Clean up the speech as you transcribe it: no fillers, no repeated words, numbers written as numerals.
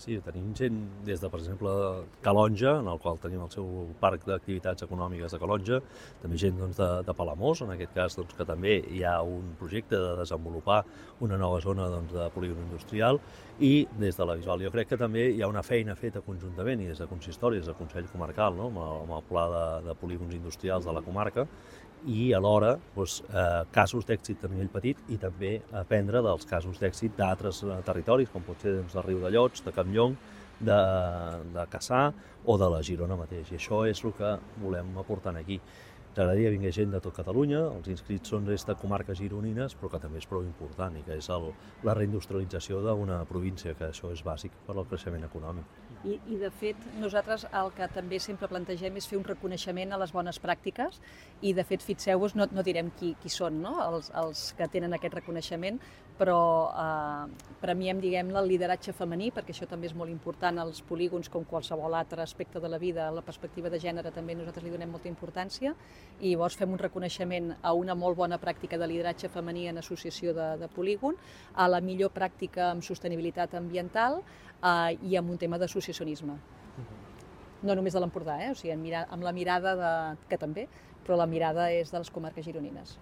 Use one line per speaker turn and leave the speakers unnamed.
Sí, tenim gent des de, per exemple, Calonge, en el qual tenim el seu parc d'activitats econòmiques de Calonge, també gent de Palamós, en aquest cas que també hi ha un projecte de desenvolupar una nova zona de polígon industrial, i des de la Bisbal jo crec que també hi ha una feina feta conjuntament i des de consistori, des del Consell Comarcal, amb el pla de polígons industrials de la comarca, i alhora casos d'èxit a nivell petit i també aprendre dels casos d'èxit d'altres territoris, com pot ser de Riudellots, de Campllong, de Cassà o de la Girona mateix. I això és el que volem aportar aquí. Ens agradaria vingué gent de tot Catalunya, els inscrits són de comarques gironines, però que també és prou important i que és la reindustrialització d'una província, que això és bàsic per al creixement econòmic.
I de fet, nosaltres el que també sempre plantegem és fer un reconeixement a les bones pràctiques i de fet, fixeu-vos, no direm qui són, no? els que tenen aquest reconeixement, però premiem, diguem-ne, el lideratge femení, perquè això també és molt important als polígons, com qualsevol altre aspecte de la vida, la perspectiva de gènere també nosaltres li donem molta importància, i llavors fem un reconeixement a una molt bona pràctica de lideratge femení en associació de polígon, a la millor pràctica en sostenibilitat ambiental i amb un tema d'associacionisme. No només de l'Empordà, o sigui, amb la mirada que també, però la mirada és de les comarques gironines.